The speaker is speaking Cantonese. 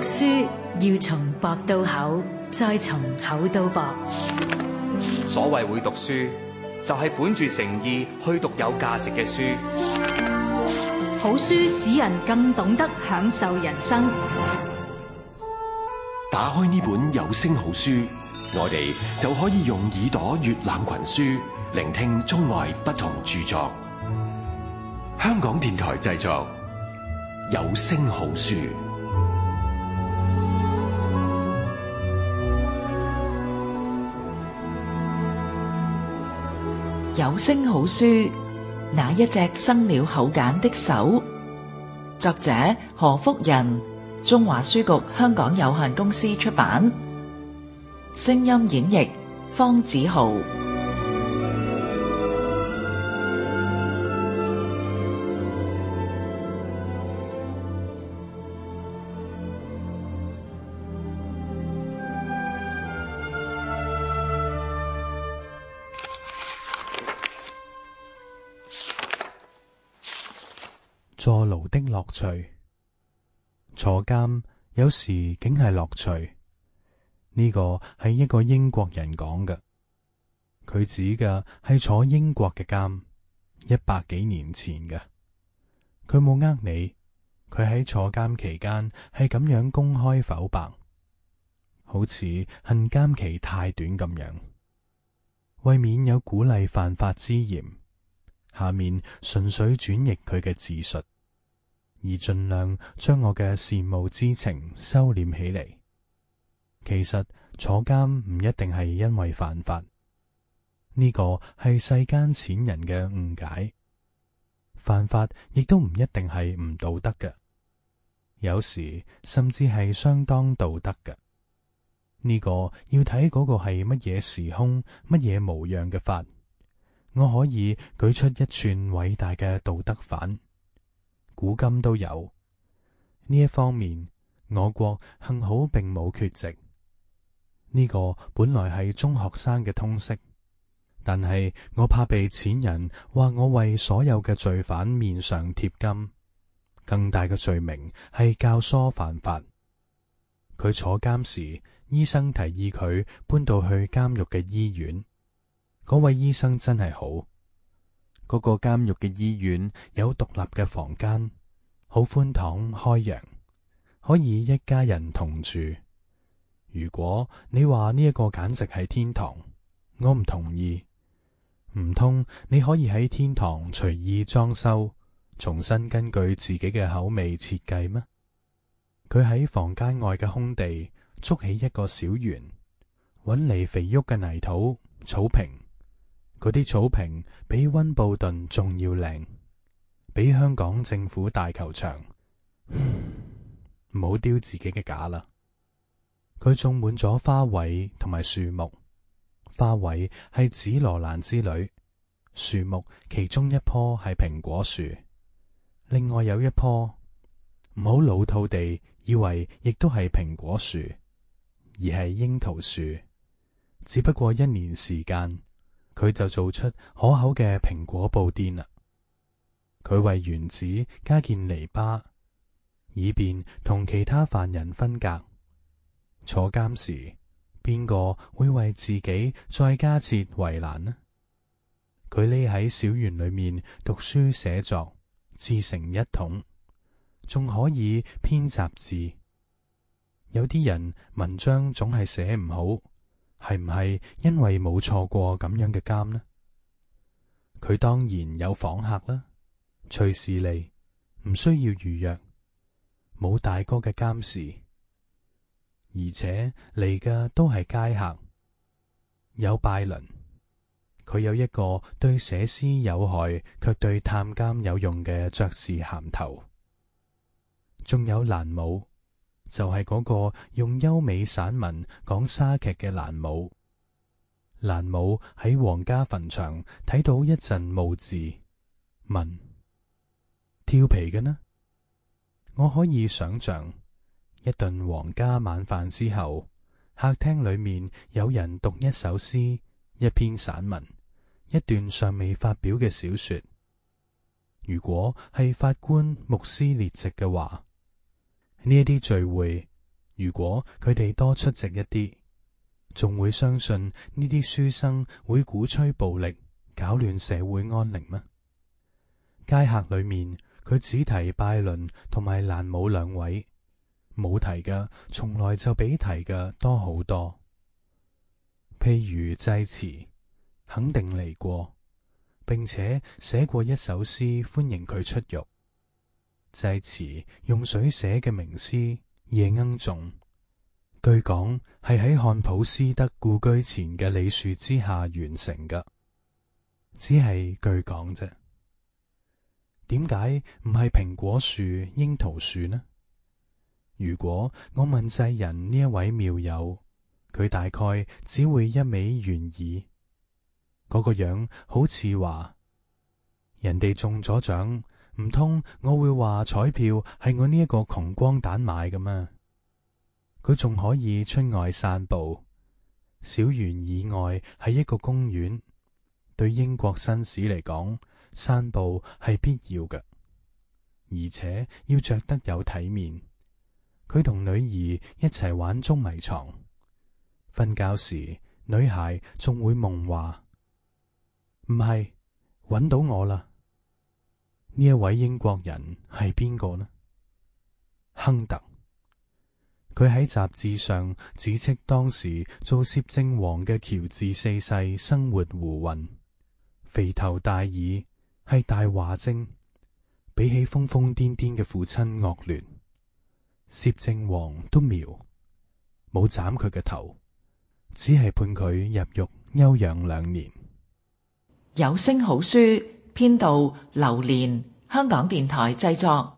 書要從薄到厚，再從厚到薄。所謂會讀書，就係本住誠意去讀有價值嘅書。好書使人更懂得享受人生。打開呢本有聲好書，我哋就可以用耳朵閱覽群書，聆聽中外不同著作。香港電台製作，有聲好書。有聲好書，那一隻生了口繭的手。作者何福仁，中華書局香港有限公司出版。聲音演繹方子豪。坐牢的樂趣。坐監有時竟係樂趣。呢個係一個英國人講嘅，佢指嘅係坐英國嘅監，100幾年前嘅。佢冇呃你，佢喺坐監期間係咁樣公開剖白，好似恨監期太短咁樣。為免有鼓勵犯法之嫌，下面純粹轉譯佢嘅自述，而盡量將我嘅羨慕之情收斂起嚟。其實坐監唔一定係因為犯法，呢個係世間淺人嘅誤解。犯法亦都唔一定係唔道德嘅，有時甚至係相當道德嘅。呢個要睇嗰個係乜嘢時空、乜嘢模樣嘅法。我可以舉出一串偉大嘅道德範，古今都有。呢一方面，我國幸好並冇缺席。呢個本來係中學生嘅通識，但係我怕被淺人話我為所有嘅罪犯面上貼金。更大嘅罪名係教唆犯法。佢坐監時，醫生提議佢搬到去監獄嘅醫院。嗰位醫生真係好。嗰個監獄嘅醫院有獨立嘅房間，好寬敞開揚，可以一家人同住。如果你話呢一個簡直係天堂，我唔同意。唔通你可以喺天堂隨意裝修，重新根據自己嘅口味設計咩？佢喺房間外嘅空地築起一個小園，搵嚟肥沃嘅泥土、草坪。嗰啲草坪比溫布頓仲要靚，比香港政府大球場。唔好丟自己嘅架啦。佢種滿咗花卉同埋樹木，花卉係紫羅蘭之類，樹木其中一棵係蘋果樹，另外有一棵，唔好老套地以為亦都係蘋果樹，而係櫻桃樹。只不過1年時間，佢就做出可口嘅蘋果布甸啦。佢為園子加建籬笆，以便同其他犯人分隔。坐監時，邊個會為自己再加設圍欄呢？佢匿喺小園裏面讀書寫作，自成一統，仲可以編雜誌。有啲人文章總係寫唔好，係唔係因為冇坐過咁樣嘅監呢？佢當然有訪客啦，隨時嚟，唔需要預約，冇大哥嘅監視，而且嚟嘅都係街客。有拜倫，佢有一個對寫詩有害卻對探監有用嘅爵士銜頭。仲有蘭姆，就係嗰個用優美散文講莎劇嘅蘭姆。蘭姆喺皇家墳場睇到一陣墓字，問：調皮嘅呢？我可以想象，一頓皇家晚飯之後，客廳裏面有人讀一首詩、一篇散文、一段尚未發表嘅小說。如果係法官、牧師列席嘅話，呢一啲聚會如果佢哋多出席一啲，仲會相信呢啲書生會鼓吹暴力，搞亂社會安寧嗎？街客裏面，佢只提拜倫同埋蘭姆兩位，冇提嘅從來就比提嘅多好多。譬如濟慈，肯定嚟過，並且寫過一首詩歡迎佢出獄。濟慈用水寫嘅名詩《夜鶯頌》，據講係喺漢普斯德故居前嘅李樹之下完成嘅，只係據講啫。點解唔係蘋果樹、櫻桃樹呢？如果我問濟人呢一位妙友，佢大概只會一味願意，嗰個樣好似話人哋中咗獎，唔通我會話彩票係我呢一個窮光蛋買嘅咩？佢仲可以出外散步，小園以外係一個公園。對英國紳士嚟講，散步係必要嘅，而且要着得有體面。佢同女兒一齊玩捉迷藏，瞓覺時女孩仲會夢話：唔係，搵到我啦！呢一位英國人係邊個呢？亨特。佢喺雜誌上指斥當時做攝政王嘅喬治四世生活胡混，肥頭大耳，係大話精，比起瘋瘋癲癲嘅父親惡劣。攝政王都苗，冇斬佢嘅頭，只係判佢入獄休養2年。有聲好書編導劉蓮，香港電台製作。